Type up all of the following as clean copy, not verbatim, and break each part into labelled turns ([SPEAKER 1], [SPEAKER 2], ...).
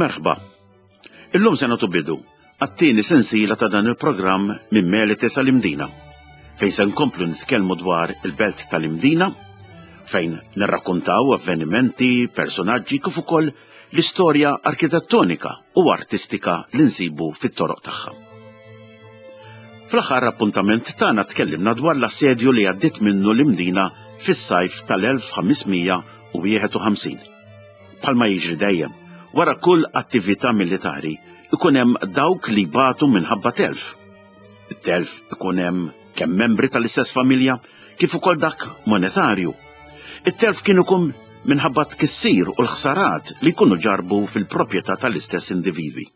[SPEAKER 1] Merħba. Illum se nagħtu bidu għat-tieni sensiela ta' dan il-programm minn Melite sal-Imdina, fejn se nkomplu nitkellmu dwar il-belt tal-Imdina, fejn nirrakkontaw avvenimenti, personaġġi kif ukoll l-istorja arkitettonika u artistika li nsibu fit-toroq tagħha. Fl-aħħar appuntament tagħna tkellimna dwar l-assedju li għaddiet minnu l-Imdina fis-sajf tal-1551. Bħalma jiġri dejjem, wara kull attività militari ikun hemm dawk li jbatu minħabba telf. It-telf ikun hemm kemm membri tal-istess familja kif ukoll dak monetarju. It-telf kien ikun minħabba tkissir u l-ħsarat li jkunu ġarbu fil-proprjetà tal-istess individwi.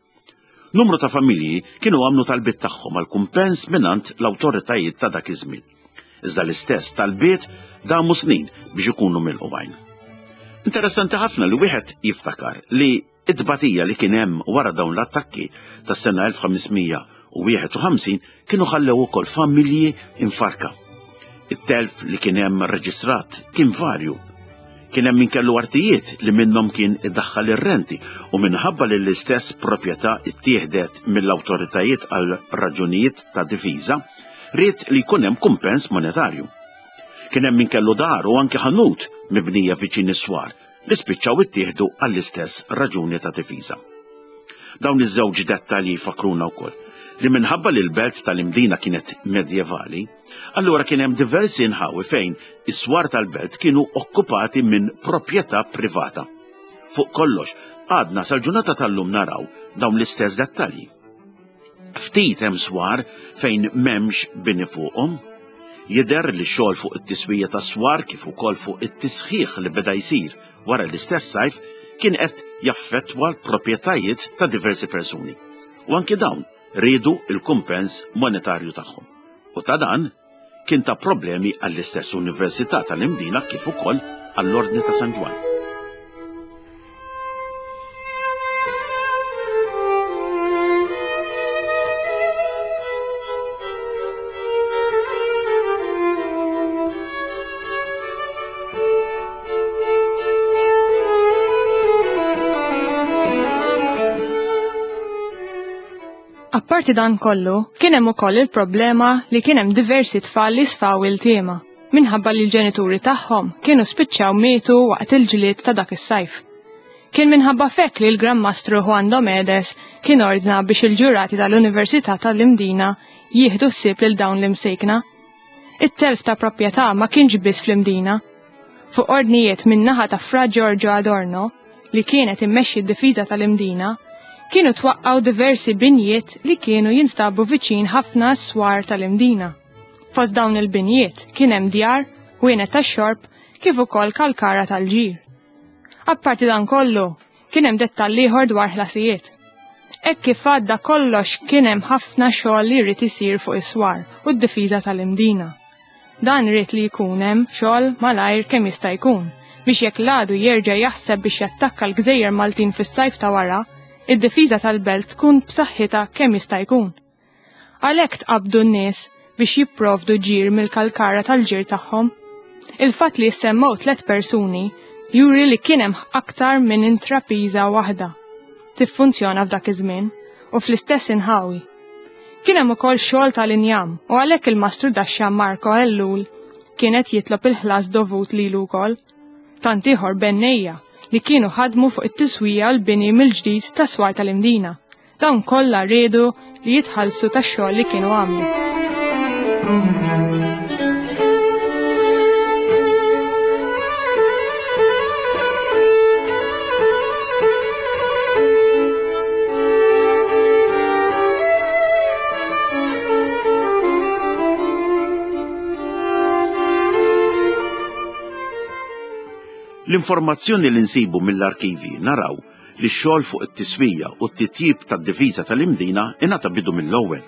[SPEAKER 1] Numru ta' familji kienu għamlu talbiet tagħhom għal kumpens mingħand l-awtoritajiet ta' dak iż-żmien. Iżda l-istess talbiet damu snin biex ikunu milqugħin. Interessanti ħafna li wieħed jiftakar li it-tbatija li kien hemm wara dawn l-attakki tas-sena 1551 kienu ħallew ukoll familji infarka. It-telf li kien hemm reġistrat kien varju. Kien hemm min kellu artijiet li minnhom kien idaħħal ir-renti u minħabba li l-istess proprjetà ittieħdet mill-awtoritajiet għal raġunijiet ta' difiża, ried li jkun hemm kumpens monetarju. Kien hemm min kellu dar u anke ħanut mibnija viċin is-swar li spiċċaw ittieħdu għall-istess raġuni ta' difiża. Dawn iż-żewġ dettalji jfakkruna wkoll li minħabba li l-belt tal-Imdina kienet medjevali, allura kien hemm diversi nħawi fejn is-swar tal-belt kienu okkupati minn proprjetà privata. Fuq kollox, għadna sal-ġurnata tal-lum naraw dawn l-istess dettalji. Ftit hemm swar fejn m'hemmx bini fuqhom. Jidher li xogħol fuq it-tiswija tas-swar kif ukoll fuq it-tisħiħ li beda jsir wara l-istess sajf kien qed jaffettwa l-proprjetajiet ta' diversi persuni. U anki dawn riedu il-kumpens monetarju tagħhom. U ta' dan kien ta' problemi għall-istess Università tal-Imdina kif ukoll għall-Ordni ta' San Ġwann.
[SPEAKER 2] Apparti dan kollu, kien hemm ukoll il-problema li kien hemm diversi tfal li sfaw iltiema minħabba li l-ġenituri tagħhom kienu spiċċaw mietu waqt il-ġlied ta' dak is-sajf. Kien minħabba fekk li l-Gran Mastru Juan Domedes kien ordna biex il-ġurati tal-Università tal-Imdina jieħdu ħsieb lil dawn l-imsejkna. It-telf ta' proprjetà ma kienx biss fl-Imdina. Fuq ordnijiet min-naħa ta' Fra Giorgio Adorno, li kienet immexxi d-difiża tal-Imdina, kienu twaqqgħu diversi binjiet li kienu jinstabu viċin ħafna s-swar tal-Imdina. Fost dawn il-binjiet kien hemm djar, ħwienet tax-xorb, kif ukoll kalkara tal-ġir. Apparti dan kollu, Kien hemm dettall ieħor dwar ħlasijiet. Hekk kif għadda kollox kien hemm ħafna xogħol li jrid isir fuq is-swar u d-difiża tal-Imdina. Dan ried li jkun hemm xogħol malajr kemm jista' jkun biex jekk l-għadu jerġa' jaħseb biex jattakka l-gżejjer Maltin fis-sajf ta' wara, id-difiża tal-belt tkun b'saħħitha kemm jista' jkun. Għalhekk tqabbdu n-nies biex jipprovdu ġir mill-kalkara tal-ġir tagħhom. Il-fatt li jissemmew tlet persuni juri li kien hemm aktar minn intrapiża waħda tiffunzjona f'dak iż-żmien u fl-istess inħawi. Kien hemm ukoll xogħol tal-injam u għalhekk il-mastru daxxa Marco Ellul kien qed jitlob il-ħlas dovut lilu wkoll. Tant ieħor bennejja li kienu ħadmu fuq it-tiswija u l-bini mill-ġdid tas-swar tal-Imdina. Dawn kollha riedu li jitħallsu tax-xogħol li kienu għamlu.
[SPEAKER 1] L-informazzjoni li nsibu mill-arkivi naraw li x-xogħol fuq it-tiswija u t-titjib tad-difiża tal-Imdina ingħata bidu mill-ewwel.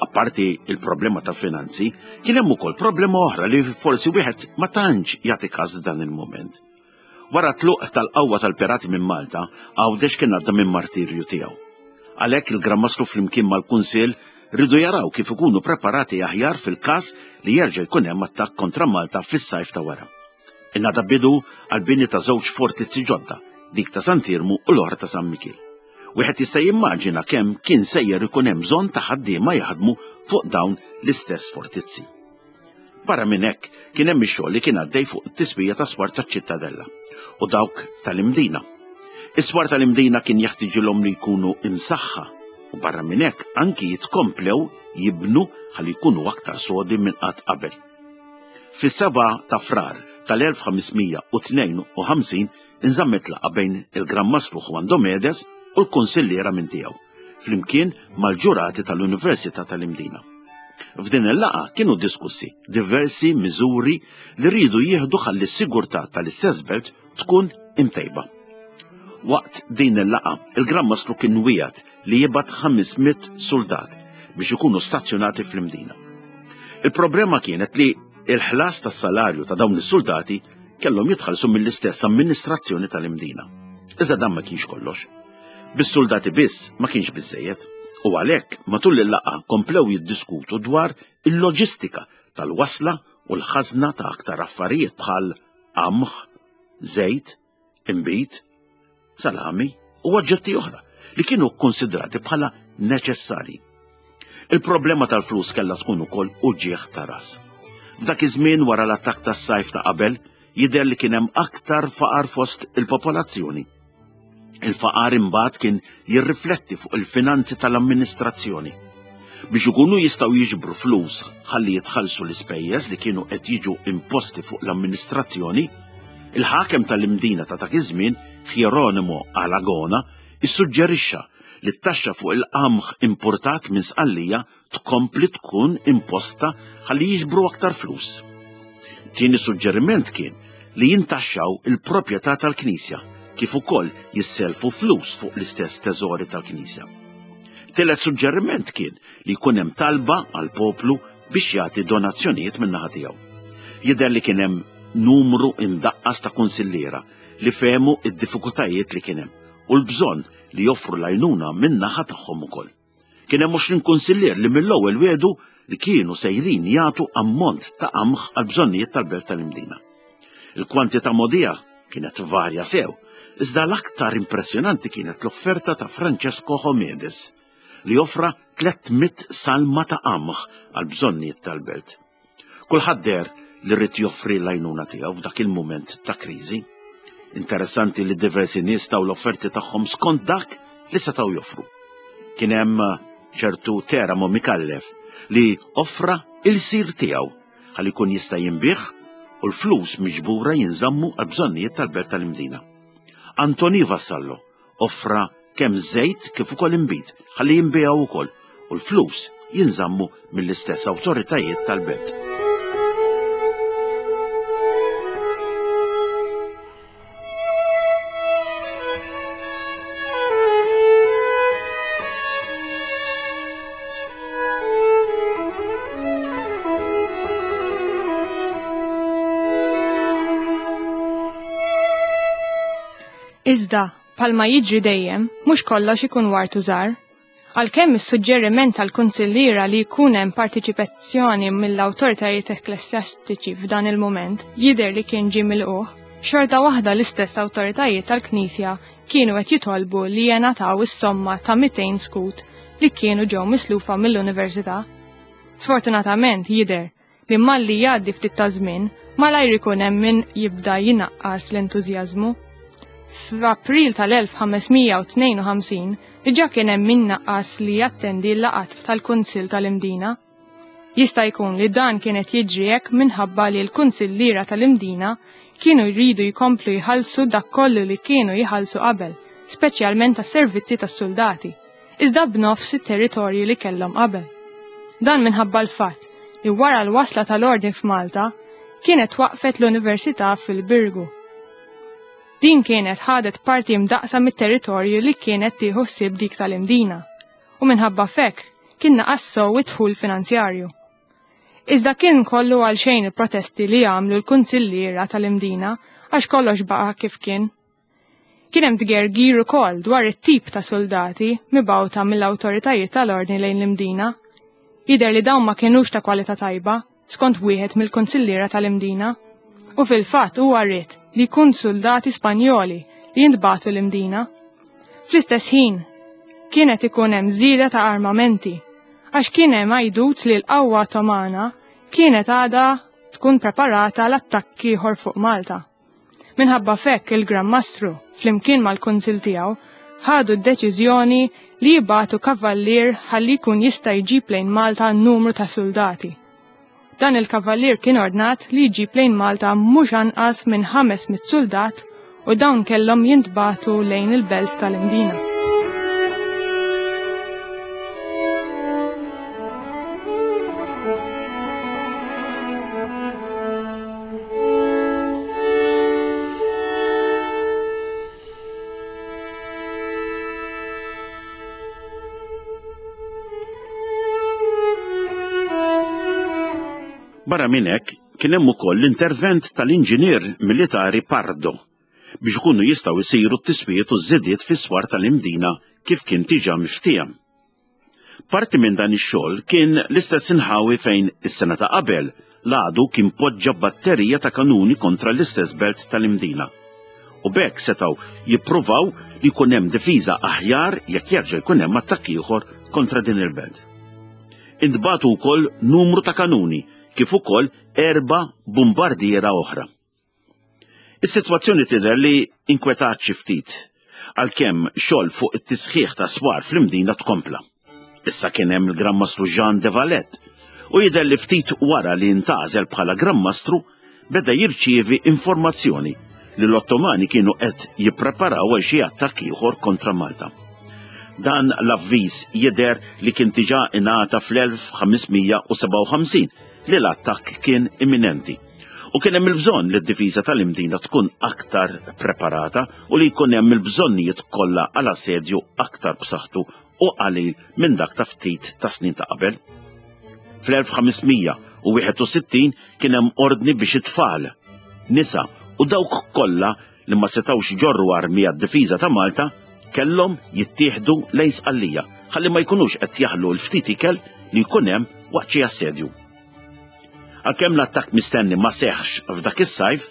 [SPEAKER 1] Apparti il-problema ta' finanzi, kien hemm ukoll problema oħra li forsi wieħed ma tantx jagħti każ dan il-mument. Wara tluq tal-qawwa tal-pirati minn Malta, Għawdex kien għadda minn martirju tiegħu. Għalhekk il-Gran Mastru flimkien mal-Kunsill rridu jaraw kif ikunu preparati aħjar fil-każ li jerġa' jkun hemm attakk kontra Malta fis-sajf ta' wara. Ingħata bidu għall-bini ta' żewġ fortizzi ġodda, dik ta' Sant'Iermu u l-oħra ta' San Mikiel. Wieħed jista' jimmaġina kemm kien sejjer ikun hemm bżonn ta' ħaddiema jaħdmu fuq dawn l-istess fortizzi. Barra minn hekk kien hemm ix-xogħol li kien għaddej fuq it-tiswija tas-swar taċ-Ċittadella u dawk tal-Imdina. Is-swar tal-Imdina kien jeħtiġilhom li jkunu imsaħħa u barra minn hekk anki jitkomplew jibnu ħalli jkunu aktar sodi minn qatt qabel. Fis-7 ta' Frar tal-1552 inżammet laqgħa bejn il-Gran Mastru Juan Domedes u l-kunsilliera minn tiegħu, flimkien mal-ġurati tal-Università tal-Imdina. F'din il-laqgħa kienu diskussi diversi miżuri li rridu jieħdu ħalli s-sigurtà tal-istess belt tkun imtejba. Waqt din il-laqgħa, il-Gran Mastru kien wiegħed li jibgħat 500 suldat biex ikunu stazzjonati fl-Imdina. Il-problema kienet li il-ħlas tas-salarju ta' dawn is-suldati kellhom jitħallsu mill-istess amministrazzjoni tal-Imdina. Iżda dan ma kienx kollox. Bis-suldati biss ma kienx biżejjed u għalhekk matul il-laqgħa komplew jiddiskutu dwar il-loġistika tal-wasla u l-ħażna ta' aktar affarijiet bħal qamħ, żejt, inbid, salami u oġġetti oħra li kienu kkonsidrati bħala neċessarji. Il-problema tal-flus kellha tkun ukoll uġigħ ta' ras. F'dak iż-żmien wara l-attakk tas-sajf ta' qabel, jidher li kien hemm aktar faqar fost il-popolazzjoni. Il-faqar imbagħad kien jirrifletti fuq il-finanzi tal-amministrazzjoni. Biex ikunu jistgħu jiġbru flus ħalli jitħallsu l-ispejjeż li kienu qed jiġu imposti fuq l-amministrazzjoni, il-ħakem tal-Imdina ta' dak iż-żmien, Hieronimo Alagona, issuġġerixxa li t-taxxa fuq il-qamħ importat minn Sqallija tkompli tkun imposta ħalli jiġbru aktar flus. Tieni suġġeriment kien li jintaxxaw il-proprjetà tal-Knisja kif ukoll jisselfu flus fuq l-istess teżori tal-Knisja. Tielet suġġeriment kien li jkun hemm talba għall-poplu biex jagħti donazzjonijiet min-naħa tiegħu. Jidher li kien hemm numru imdaqqas ta' kunsilliera li fehmu id-diffikultajiet li kien hemm u l-bżonn li joffru l-għajnuna min-naħa tagħhom ukoll. Kien hemm 20 kunsillier li mill-ewwel wiegħdu li kienu sejrin jagħtu ammont ta' qamħ għall-bżonnijiet tal-belt tal-Imdina. Il-kwantità mogħdija kienet varja sew, iżda l-aktar impressjonanti kienet l-offerta ta' Francesco Homedes li offra 300 salma ta' qamħ għall-bżonnijiet tal-belt. Kulħadd deher li rrid joffri l-għajnuna tiegħu f'dak il-mument ta' kriżi. Interessanti li diversi nies taw l-offerti tagħhom skont dak li setgħu joffru. Kien hemm ċertu Teramo Mikallef li offra il-sir tiegħu ħalli jkun jista' jinbih u l-flus miġbura jinżammu għal bżonnijiet tal-belt tal-Imdina. Antoni Vassallo offra kemm żejt kif ukoll inbid ħalli jinbiegħu wkoll u l-flus jinżammu mill-istess awtoritajiet tal-belt.
[SPEAKER 2] Iżda, Bħalma jiġri dejjem, mhux kollox ikun ward u żgħar. Għalkemm is-suġġeriment tal-kunsilliera li jkun hemm partiċipazzjoni mill-awtoritajiet ekklesjastiċi f'dan il-mument jidher li kien ġie milqugħ, xorta waħda l-istess awtoritajiet tal-Knisja kienu qed jitolbu li jingħataw is-somma ta' 200 skut li kienu ġew mislufa mill-Università. Sfortunatament jidher li malli jgħaddi ftit ta' żmien, malajr ikun hemm min jibda jinaqqas l-entużjażmu. F'April tal-1552 diġà kien hemm min naqqas li jattendi l-laqgħat tal-Kunsill tal-Imdina. Jista' jkun li dan kien qed jiġri hekk minħabba li l-kunsilliera tal-Imdina kienu jridu jkomplu jħallsu dak kollu li kienu jħallsu qabel, speċjalment għas-servizzi tas-suldati. iżda b'nofs it-territorji li kellhom qabel. Dan minħabba l-fatt li wara l-wasla tal-Ordni f'Malta kienet waqfet l-Università fil-Birgu. Din kienet ħadet parti mdaqsa mit-territorju li kienet tieħu ħsieb dik tal-Imdina u minħabba f'hekk kien naqas sew id-dħul finanzjarju. Iżda kien kollu għal xejn il-protesti li għamlu l-kunsilliera tal-Imdina għax kollox baqa' kif kien. Kien hemm tgergir ukoll dwar it-tip ta' suldati mibgħuta mill-awtoritajiet tal-Ordni lejn l-Imdina. Jidher li dawn ma kinux ta' kwalità tajba, skont wieħed mill-kunsilliera tal-Imdina. U fil-fatt huwa ried li jkun suldati Spanjoli li jintbagħtu l-Imdina. Fl-istess ħin, Kienet ikun hemm żieda ta' armamenti, għax kien hemm għajdut li l-qawwa Ottomana kienet għadha tkun preparata l-attakk ieħor fuq Malta. Minħabba f'hekk il-Gran Mastru, flimkien mal-Kunsill tiegħu, ħadu d-deċiżjoni li jibagħtu kavallier ħalli jkun jista' jġib lejn Malta numru ta' suldati. Dan il-kavallier kien ordnat li jġib lejn Malta mhux anqas minn 500 suldat u dawn kellhom jintbagħtu lejn il-belt tal-Imdina.
[SPEAKER 1] Barra minn hekk, kien hemm ukoll l-intervent tal-inġinier militari Pardo biex ikunu jistgħu jsiru t-tiswijiet u ż-żidiet fis-swar tal-Imdina kif kien diġà miftiehem. Parti minn dan ix-xogħol kien l-istess inħawi fejn is-sena ta' qabel l-għadu kien poġġa batterija ta' kanuni kontra l-istess belt tal-Imdina. U b'hekk setgħu jippruvaw li jkun hemm difiża aħjar jekk jerġa' jkun hemm attakk ieħor kontra din il-belt. Intbagħtu wkoll numru ta' kanuni kif ukoll erba' bombardiera oħra. Is-sitwazzjoni tidher li inkwetat xi ftit, għalkemm xogħol fuq it-tisħiħ ta' swar fl-Imdina tkompla. Issa kien hemm il-Gran Mastru Jean de Valette u jidher li ftit wara li ntgħażel bħala Gran Mastru beda jirċievi informazzjoni li l-Ottomani kienu qed jippreparaw għal xi attakk ieħor kontra Malta. Dan l-avviż jidher li kien diġà ingħata fl-1557 li l-attakk kien imminenti. U kien hemm il-bżonn li d-difiża tal-Imdina tkun aktar preparata u li jkun hemm il-bżonnijiet kollha għal assedju aktar b'saħħtu u qalil minn dak ta' ftit ta' snin ta' qabel. Fl-1561 kien hemm ordni biex it-tfal, nisa u dawk kollha li ma setgħux iġorru armi għad-difiża ta' Malta kellhom jittieħdu lejn Sqallija ħalli ma jkunux qed jaħlu l-ftit ikel li jkun hemm waqt xi assedju. Għalkemm l-attakk mistenni ma seħħx f'dak is-sajf,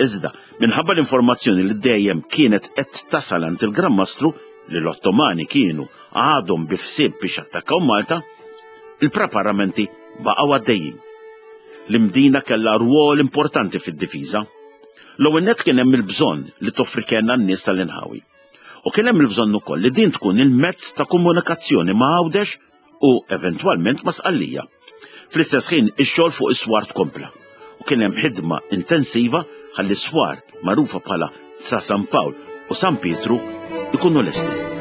[SPEAKER 1] iżda minħabba l-informazzjoni li dejjem kienet qed tasal għand il-Gran Mastru li l-Ottomani kienu għadhom bil-ħsieb biex attakkaw Malta, il-preparamenti baqgħu għaddejjin. L-Imdina kellha rwol importanti fid-difiża. L-ewwel nett kien hemm il-bżonn li toffri kenn għan-nies tal-inħawi. U kien hemm il-bżonn ukoll li din tkun il-mezz ta' komunikazzjoni ma' Għawdex u eventwalment ma' Sqallija. Fl-istess ħin ix-xogħol fuq is-swar tkompla u kien hemm ħidma intensiva ħalli s-swar magħrufa bħala sa San Pawl u San Pietru ikunu lesti.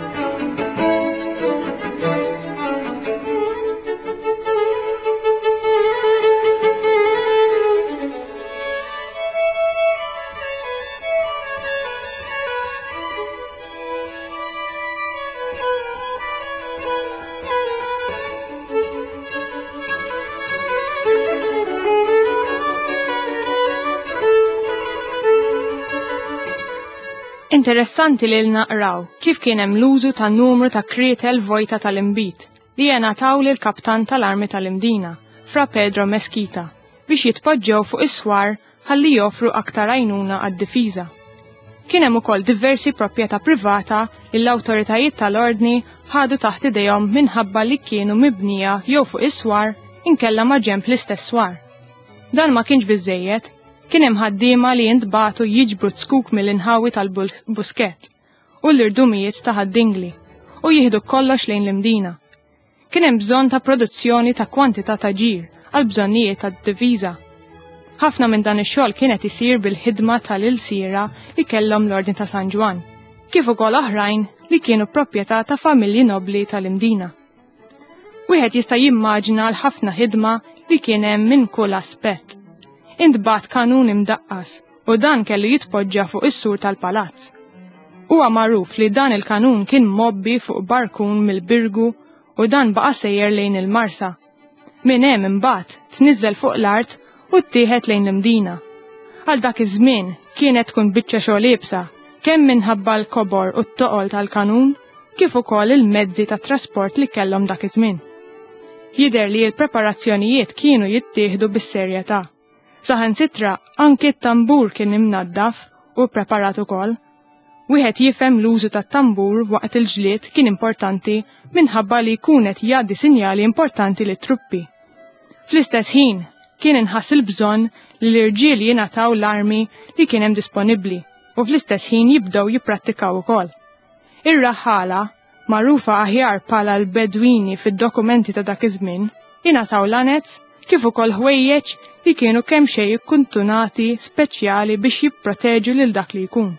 [SPEAKER 2] Interessanti li naqraw kif kien hemm l-użu ta' numru ta' krietel vojta tal-imbit li jingħataw lil kaptan tal-armi tal-Imdina, Fra Pedro Mesquita, biex jitpoġġew fuq is-swar ħalli joffru aktar għajnuna għad-difiża. Kien hemm ukoll diversi proprjetà privata li l-awtoritajiet tal-Ordni ħadu taħt idejhom minħabba li kienu mibnija jew fuq is-swar inkella ma' ġenb l-istess swar. Dan ma kienx biżżejjed, kien hemm ħaddiema li jintbagħtu jiġbru zkuk mill-inħawi tal-Buskett u l-irdumijiet ta' Ħad-Dingli u jieħdu kollox lejn l-Imdina. Kien hemm bżonn ta' produzzjoni ta' kwantità ta' ġir għal bżonnijiet tad-diviża. Ħafna minn dan ix-xogħol kien qed isir bil-ħidma tal-ilsiera li kellhom l-Ordni ta' San Ġwann, kif ukoll oħrajn li kienu proprjetà ta' familji nobbli tal-Imdina. Wieħed jista' jimmaġina l-ħafna ħidma li kien hemm minn kull aspett. Intbagħat kanun imdaqqas u dan kellu jitpoġġa fuq is-sur tal-palazz. Huwa magħruf li dan il-kanun kien mgħobbi fuq barkun mill-Birgu u dan baqa' sejjer lejn il-Marsa. Minn hemm imbagħad tniżżel fuq l-art u ttieħed lejn l-Imdina. Għal dak iż-żmien kienet tkun biċċa xogħol iebsa, kemm minħabba l-kobor u t-toqol tal-kanun, kif ukoll il-mezzi ta' trasport li kellhom dak iż-żmien. Jidher li l-preparazzjonijiet kienu jittieħdu bis-serjetà. Saħansitra anki t-tambur kien imnaddaf u ppreparat ukoll. Wieħed jifhem l-użu tat-tambur waqt il-ġlied kien importanti minħabba li jkun qed jgħaddi sinjali importanti lit-truppi. Fl-istess ħin, kien inħass il-bżonn li l-irġiel jingħataw l-armi li kien hemm disponibbli u fl-istess ħin jibdew jipprattikaw ukoll. Ir-raħħala, magħrufa aħjar bħala l-Bedwini fid-dokumenti ta' dak iż-żmien, ingħataw lanez kif ukoll ħwejjeġ li kienu kemxejn ikkuntunati speċjali biex jipproteġu lil dak li jkun.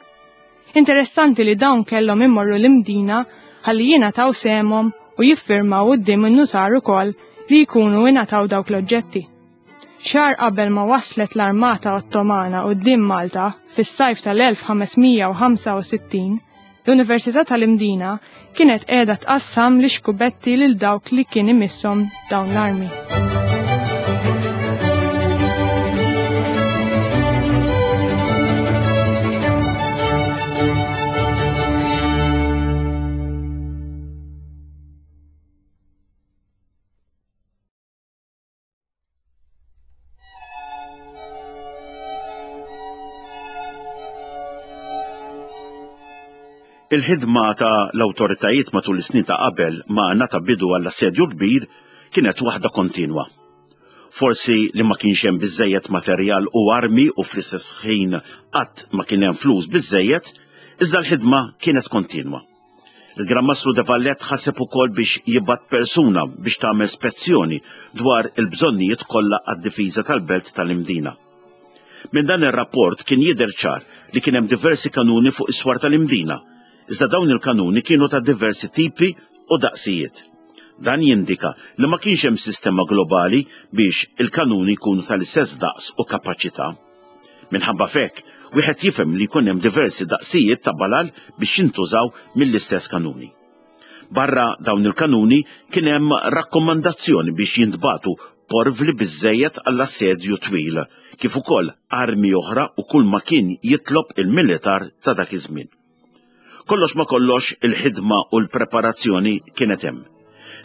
[SPEAKER 2] Interessanti li dawn kellhom immorru l-Imdina ħalli jingħataw sehemhom u jiffirmaw quddiem in-nutar ukoll li jkunu ingħataw dawk l-oġġetti. Xahar qabel ma waslet l-armata Ottomana quddiem Malta fis-sajf tal-1565, l-Università tal-Imdina kienet qiegħda tqassam l-ixkubetti lil dawk li kien imisshom dawn l-armi.
[SPEAKER 1] Il-ħidma ta' l-awtoritajiet matul is-snin ta' qabel ma ngħata bidu għall-assedju l-kbir kienet waħda kontinwa. Forsi li ma kienx hemm biżżejjed materjal u armi u fl-istess ħin qatt ma kien hemm flus biżżejjed, iżda l-ħidma kienet kontinwa. Il-Gran Mastru de Valette ħaseb ukoll biex jibgħat persuna biex tagħmel spezzjoni dwar il-bżonnijiet kollha għad-difiża tal-belt tal-Imdina. Minn dan ir-rapport kien jidher ċar li kien hemm diversi kanuni fuq is-swar tal-Imdina, iżda dawn il-kanuni kienu ta' diversi tipi u daqsijiet. Dan jindika li ma kienx hemm sistema globali biex il-kanuni jkunu tal-istess daqs u kapaċità. Minħabba f'hekk, wieħed jifhem li jkun hemm diversi daqsijiet ta' balal biex jintużaw mill-istess kanuni. Barra dawn il-kanuni kien hemm rakkomandazzjoni biex jintbagħtu porvli biżżejjed għall-assedju twil, kif ukoll armi oħra u kull ma kien jitlob il-militar ta' dak iż-żmien. Kollox ma kollox il-ħidma u l-preparazzjoni kienet hemm.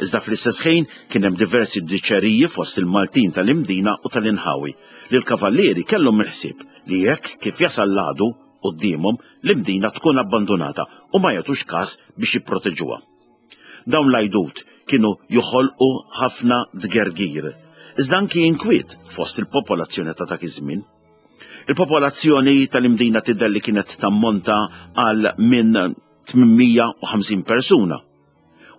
[SPEAKER 1] Iżda fl-istess ħin kien hemm diversi diċeriji fost il-Maltin tal-Imdina u tal-inħawi li l-Kavallieri kellhom il-ħsieb li jekk kif jasal l-għadu quddiemhom l-Imdina tkun abbandunata u ma jagħtux kas biex jipproteġuha. Dawn l-għajdut kienu joħolqu ħafna tgergir, iżda anki inkwiet fost il-popolazzjoni ta' dak iż-żmien. Il-popolazzjoni tal-Imdina tidher li kienet tammonta għal minn 850 persuna.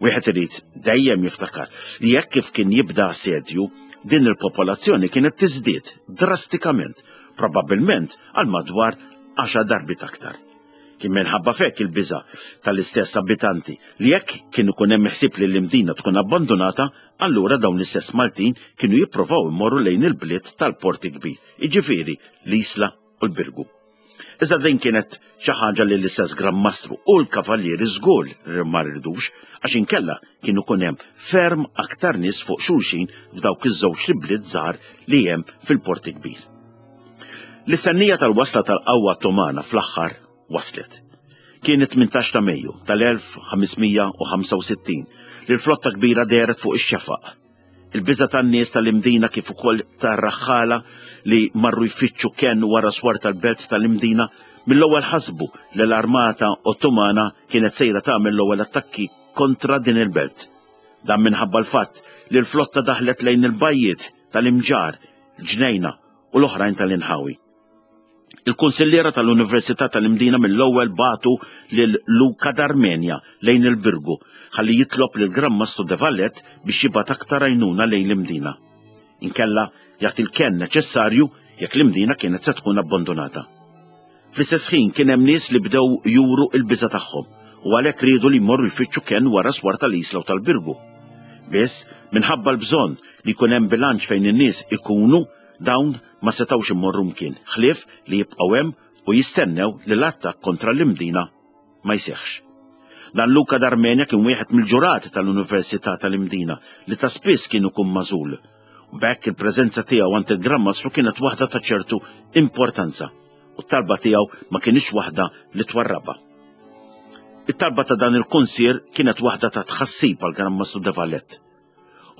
[SPEAKER 1] Wieħed irid dejjem jiftakar li jekk kif kien jibda assedju, din il-popolazzjoni kienet tiżdied drastikament, probabbilment għal madwar għaxar darbiet aktar. Kien minħabba f'hekk il-biża' tal-istess abitanti li jekk kien ikun hemm ħsieb li l-Imdina tkun abbandunata, allura dawn l-istess Maltin kienu jipprovaw imorru lejn il-bliet tal-Port il-Kbir, jiġifieri l-Isla u l-Birgu. Iżda din kienet xi ħaġa li l-istess Gran Mastru u l-Kavallieri żgur li ma ridux għax inkella kien ikun hemm ferm aktar nies fuq xulxin f'dawk iż-żewġ bliet żgħar li hemm fil-Port il-Kbir. L-istennija tal-wasla tal-qawwa Ottomana fl-aħħar waslet. Kien it-18 ta' Mejju tal-1565 li l-flotta kbira dehret fuq ix-xefaq. Il-biża' tan-nies tal-Imdina kif ukoll tar-raħħala li marru jfittxu kenn wara swar tal-belt tal-Imdina mill-ewwel ħasbu li l-armata Ottomana kienet sejra tagħmel l-ewwel attakki kontra din il-belt. Dan minħabba l-fatt li l-flotta daħlet lejn il-bajjiet tal-Imġarr, Ġnejna u l-oħrajn tal-inħawi. Il-kunsilliera tal-Università tal-Imdina mill-ewwel bagħtu lil Luca d'Armenia lejn il-Birgu ħalli jitlob lil Gran Mastru de Valette biex jibgħat aktar għajnuna lejn l-Imdina. Inkella jagħti l-kenn neċessarju jekk l-Imdina kienet se tkun abbandunata. Fl-istess ħin kien hemm nies li bdew juru l-biża' tagħhom u għalhekk riedu li jmorru jfittxu kenn wara swar tal-Isla u tal-Birgu. Biss, minħabba l-bżonn li jkun hemm bilanċ fejn in-nies ikunu, dawn ma setgħux imorru mkien ħlief li jibqgħu hemm u jistennew li l-attakk kontra l-Imdina ma jseħħx. Dan Luca d'Armenia kien wieħed mill-ġurati tal-Università tal-Imdina li ta' spiss kien ikun magħżul. U b'hekk il-preżenza tiegħu għand il-Gran Mastru kienet waħda ta' ċertu importanza u t-talba tiegħu ma kinitx waħda li twarrabha. It-talba ta' dan il-kunsier kienet waħda ta' tħassib għal Gran Mastru de Valette.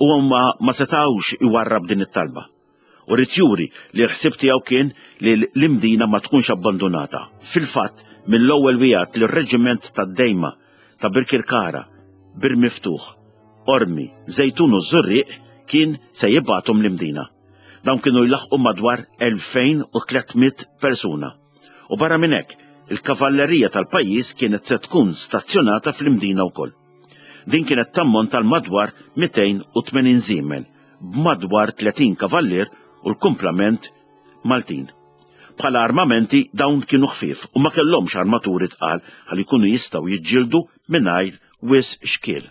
[SPEAKER 1] U huma ma setgħux iwarrab din it-talba. U ried juri li l-ħsieb tiegħu kien li l-Imdina ma tkunx abbandunata. Fil-fatt, mill-ewwel wiegħed li r-reġiment tad-Dejma ta' Birkirkara, Bir Miftuħ, Qormi, Żejtun u Żurrieq kien se jibgħathom l-Imdina. Dawn kienu jlaħħqu madwar 2300 persuna. U barra minn hekk, il-kavallerija tal-pajjiż kienet se tkun stazzjonata fl-Imdina wkoll. Din kienet tammont għal madwar 280 żiemel, b'madwar 30 kavallier u l-kumplament Maltin. Bħala armamenti dawn kienu ħfief u ma kellhomx armaturi tqal ħalli jkunu jistgħu jiġġieldu mingħajr wisq xkiel.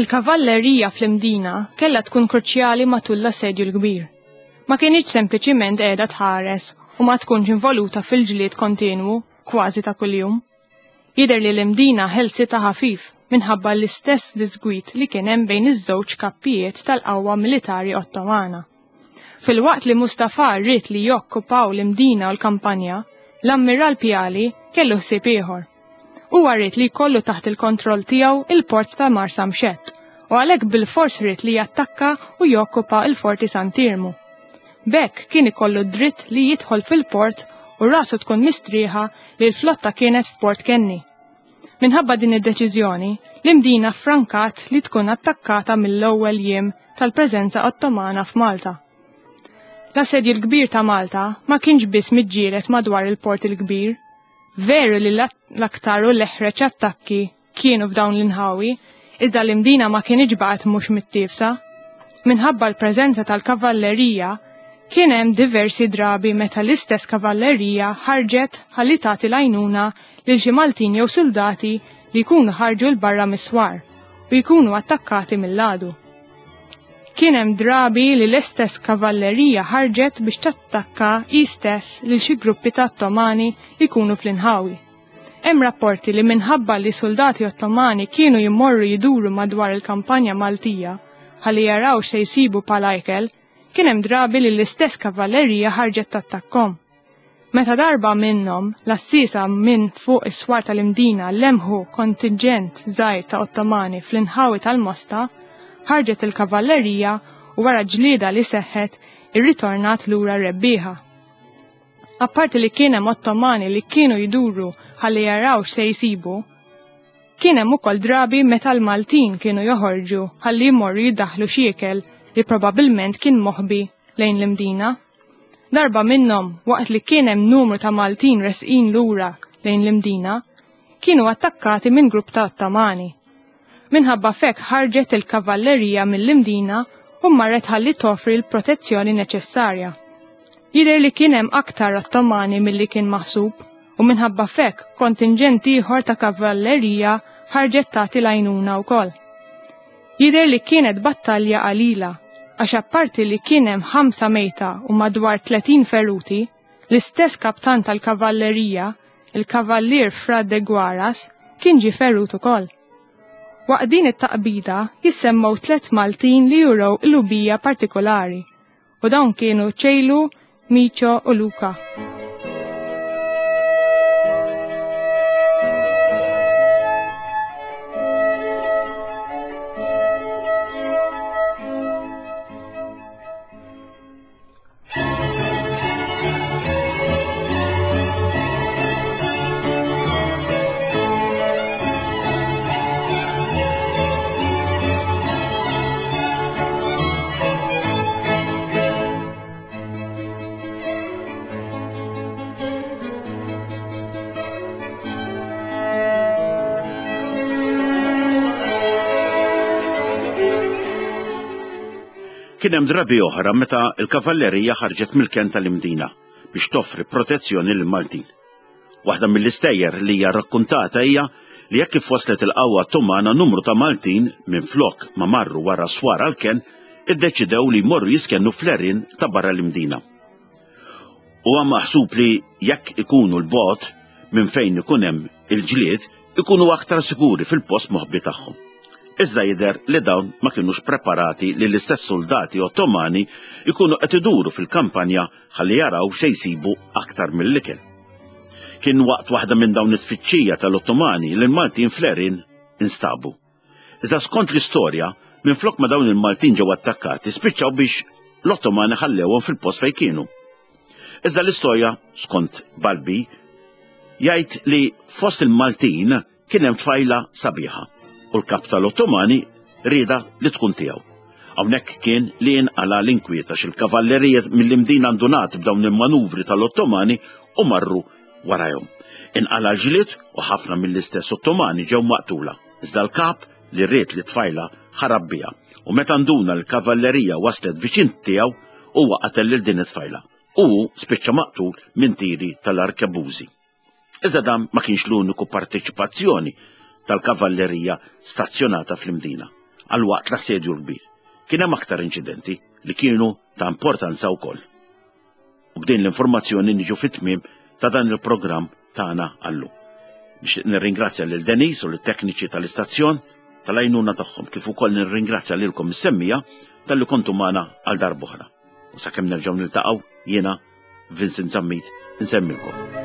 [SPEAKER 2] Il-kavallerija fl-Imdina kellha tkun kruċjali matul l-Assedju l-Kbir. Ma kinitx sempliċiment qiegħda tħares u ma tkunx involuta fil-ġlied kontinwu kważi ta' kuljum. Jidher li l-Imdina ħelsitha ħafif minħabba l-istess diżgwid li kien hemm bejn iż-żewġ kappijiet tal-qawwa militari Ottomana. Filwaqt li Mustafa ried li jokkupaw l-Imdina u l-kampanja, l-Ammiral Piali kellu ħsieb ieħor. Huwa ried li jkollu taħt il-kontroll tiegħu il-port ta' Marsamxett u għalhekk bilfors ried li jattakka u jokkupa l-Forti Sant'Iermu. B'hekk kien ikollu d-dritt li jidħol fil-port u rasu tkun mistrieħa li l-flotta kienet f'Port Kenny. Minħabba din id-deċiżjoni, l-Imdina ffrankat li tkun attakkata mill-ewwel jiem tal-preżenza Ottomana f'Malta. L-Assedju l-Kbir ta' Malta ma kienx biss miġġieled madwar il-Port il-Kbir. Veru li l-aktar u l-eħreġ attakki kienu f'dawn l-inħawi, iżda l-Imdina ma kinitx baqgħet mhux mittiefsa. Minħabba l-preżenza tal-kavallerija, kien hemm diversi drabi meta l-istess kavallerija ħarġet ħalli tagħti l-għajnuna lil xi Maltin jew suldati li jkunu ħarġu 'l barra mis-swar u jkunu attakkati mill-għadu. Kien hemm drabi li l-istess kavallerija ħarġet biex tattakka hi stess lil xi gruppi ta' Ottomani li jkunu fl-inħawi. Hemm rapporti li minħabba li suldati Ottomani kienu jmorru jduru madwar il-kampanja Maltija ħalli jaraw x'se jsibu bħala ikel, kien hemm drabi li l-istess kavallerija ħarġet tattakkhom. Meta darba minnhom l-għassiesa minn fuq is-swar tal-Imdina lemħu kontinġent żgħir ta' Ottomani fl-inħawi tal-Mosta, ħarġet il-kavallerija u wara ġlieda li seħħet irritornat lura rebbieħa. Apparti li kien hemm Ottomani li kienu jduru ħalli jaraw x'se jsibu, kien hemm ukoll drabi meta l-Maltin kienu joħorġu ħalli jmorru jdaħħlu xi ikel li probabbilment kien moħbi lejn l-Imdina. Darba minnhom, waqt li kien hemm numru ta' Maltin resqin lura lejn l-Imdina, kienu attakkati minn grupp ta' Ottomani. Minħabba f'hekk ħarġet il-kavallerija mill-Imdina u marret ħalli toffri l-protezzjoni neċessarja. Jidher li kien hemm aktar Ottomani milli kien maħsub u minħabba f'hekk kontinġent ieħor ta' kavallerija ħarġet tagħti l-għajnuna wkoll. Jidher li kienet battalja qalila għax apparti li kien hemm ħamsa mejta u madwar 30 feruti, L-istess kaptan tal-kavallerija, il-Kavallier Fra de Guaras, kien ġie ferut ukoll. Waqt din it-taqbida jissemmew tlett Maltin li urew qlubija partikolari u dawn kienu Ċejlu, Miċo u Luca.
[SPEAKER 1] Kien hemm drabi oħra meta l-kavallerija ħarġet mill-kenn tal-Imdina biex toffri protezzjoni lill-Maltin. Waħda mill-istejjer li hija rrakkuntata hija li hekk kif waslet il-qawwa Ottomana numru ta' Maltin minflok ma marru wara swar għall-kenn iddeċidew li jmorru jiskennu fl-għerien ta' barra l-Imdina. Huwa maħsub li jekk ikunu 'l bogħod minn fejn ikun hemm il-ġlied. ikunu aktar siguri fil-post moħbi tagħhom. Iżda jidher li dawn ma kinux preparati li l-istess soldati Ottomani jkunu qed iduru fil-kampanja ħalli jaraw se jsibu aktar mill-ikel. Kien waqt waħda minn dawn it-tfittxija tal-Ottomani li l-Maltin fl-Erin instabu. Iżda skont l-istorja, minflok ma dawn il-Maltin ġew attakkati, spiċċaw biex l-Ottomani ħallewhom fil-post fejn kienu. Iżda l-istorja, skont Balbi, jgħid li fost il-Maltin kien hemm tfajla sabiħa u l-kap tal-Ottomani rieda li tkun tiegħu. Hawnhekk kien li jinqala l-inkwiet għax il-kavallerija mill-Imdina ndunat b'dawn il-manuvri tal-Ottomani u marru warajhom. Inqala l-ġlied u ħafna mill-istess Ottomani ġew maqtula. Iżda l-kap li ried li tfajla ħarab biha u meta nduna l-kavallerija waslet viċin tiegħu huwa qatel lil din it-tfajla u hu spiċċa maqtul minn tiri tal-arkebużi. Iżda dan ma kienx l-uniku parteċipazzjoni tal-kavallerija stazzjonata fl-Imdina għal waqt l-assedju l-kbir. Kien hemm aktar inċidenti li kienu ta' importanza wkoll. U b'din l-informazzjoni niġu fit-tmiem ta' dan il-programm tagħna għallum. Nixtieq nirringrazzja lil Denis u lit-tekniċi tal-istazzjon tal-għajnuna tagħhom kif ukoll nirringrazzja lilkom is-semmija talli kontu magħna għal darb'oħra. U sakemm nerġgħu niltaqgħu jiena Vincent Zammit insemmilkom.